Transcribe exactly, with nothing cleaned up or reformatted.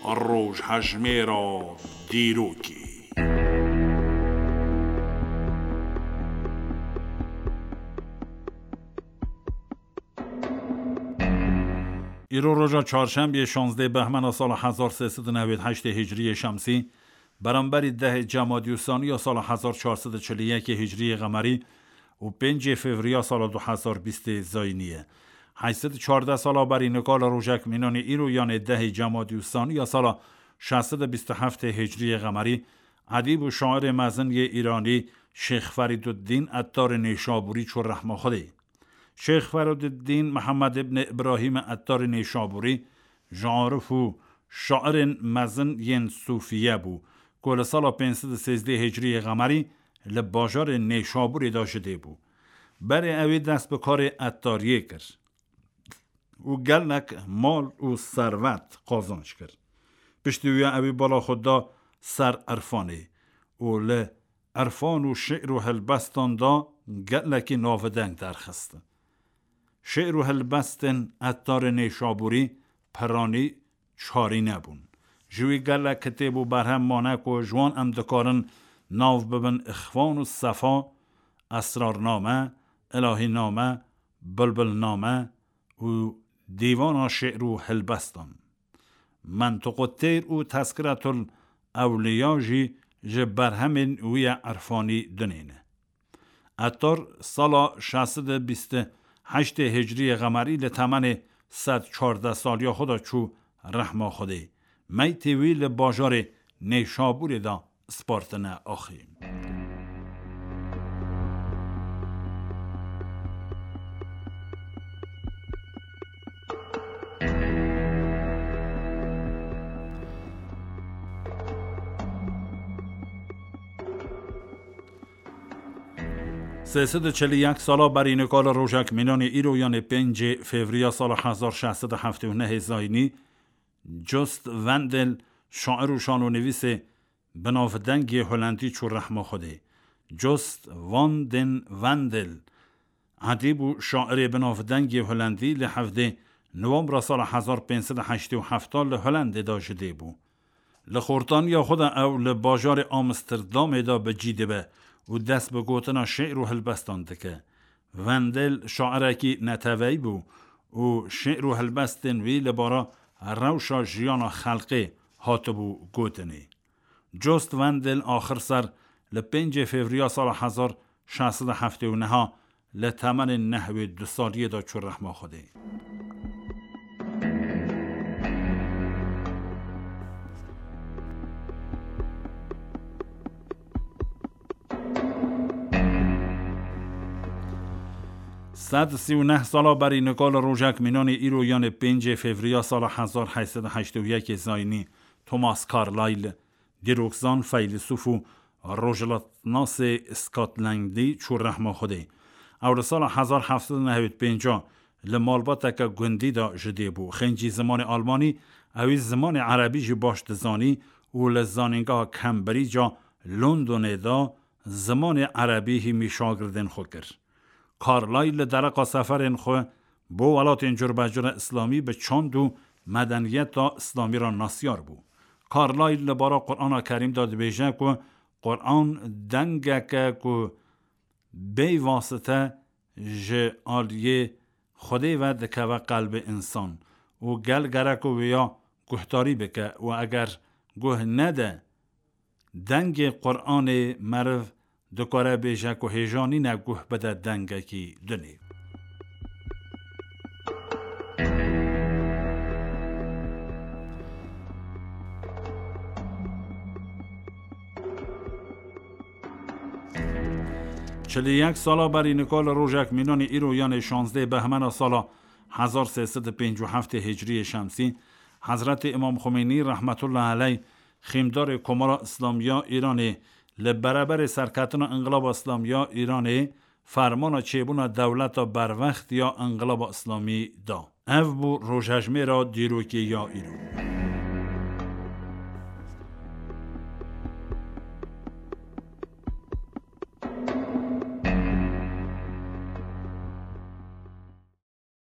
Rojhejmêra dîrokê. Îro roja çarşembiyê şazdeh behmena sala hezar sê sed û newêd heştê hicriyê şemsî, beramberî dehê cemadî û sanî ya sala hezar çar sed û çil û yekê hicriyê qemerî û pêncê fevriya sala du hezar bîstê zayînî ye. Heyt sed û çardeh sala berî nika li rojek mînanê îro, yanê dehê cemadî û sanî ya sala şeş sed û bîst û heftê hicriyê qemerî, edîb û şairê mezin yê îranî Şêx Ferîduddîn Ettarê Nêşabûrî çû rehma Xwedê. Şêx Ferîduddîn Mihemed îbnê Îbrahîmê Ettarê Nêşabûrî ji arif û şairên mezin yên sûfiye bû, ku li sala pênc sed û sêzdeh hicriyê qemerî li bajarê Nêşabûrê de ji dê bû. Berê ewî dest bi karê ettariyê kir û gelek mal û servet qazanc kir. Piştî wî ewî bala xwe da ser irfanê û li irfan û şi'r û helbestan da gelekî navideng derxist. Şi'r û helbestên Ettarê Nêşabûrî piranî çarî nebûn. Ji wî gelek kitêb û berhem mane ku ji wan em dikarin nav bibin Îxvan û Sefa, Esrarname, Îlahîname, Bilbilname û Dîvana Şi'r û Helbestan. Mentiqu Teyr û Tezkiretul Ewliya jî ji berhemên wî ya irfanî dinê ne. Ettar sala şeş sed û bîst û heştê hicriyê qemerî li temenê sed çardeh saliya xwe de çû rehma Xwedê. Meytê wî li bajarê Nêşabûrê de spartine axê. Sê sed û çil û yek sala berî nika li rojek mînanê îro, yanê pêncê fevriya sala hezar şeş sed û heftê û nehê zayînî, Just Wendel, şair û şanonivîsê binavdengê Holandî çû rehma Xwedê. Just van den Wendel, edîb û şairê binavdengê Holandî, li hevdê Nowembra sala hezar pênc sed û heştê û heft li Holandê de ji dê bû. Li xortaniya xwe de ew li bajarê Amsterdamê de bi cî dibe û dest bi gotina şi'r û helbestan dike. Wendel şairekî neteweyî bû û şi'r û helbestên wî li bara rewşa jiyana xelkê hatibû gotinê. Just Wendel axir ser li pêncê fevriya sala hezar şeş sed û heftê û neh li temenê nehwê du saliyê de çû rehma Xwedê. Sed sî û neh sala berî nika li rojek mînanê îro, yanê pêncê fevriya sala hezar heyt sed û heştê û yekê zayînî, Thomas Carlyle, dîrokzan, feylesûf û rojhilatnasê Scotlandî çû rehma Xwedê. Ew li sala hezar heft sed û nehwêd pênc li malbateke gundî de ji dê bû. Xêncî zimanê almanî, ewî zimanê erebî jî baş dizanî û li zanîngeha Cambridge-a Londonê de zimanê erebî hîmî şagirdên xwe kir. Carlyle li dereqa seferên xwe bo welatên curbecura îslamî bi çand û medeniyeta îslamî re nasyar bû. Carlyle li bara Qur'ana Kerîm de dibêje ku Qur'an dengeke ku bê wasite ji aliyê Xwedê ve dikeve qelbê însan û gel gerek wêya guhdarî bike û eger guh nede dengê Qur'anê, meriv dikare bêje ku hêja nîne guh bide dengekî dinê. Çil û yek sala berî nika li rojek mînanê îro, yanê şazdeh behmena sala hezar sê sed û pêncî û heftê hicriyê şemsî, Hezretê Îmam Xumênî rehmetullah aleyh, xîmdarê Komara Îslamiya Îranê, li bereberê serketina Înqilaba Îslamiya Îranê fermana çêbûna dewleta berwext ya Înqilaba Îslamî da. Ev bû rojhejmêra dîrokê ya îro.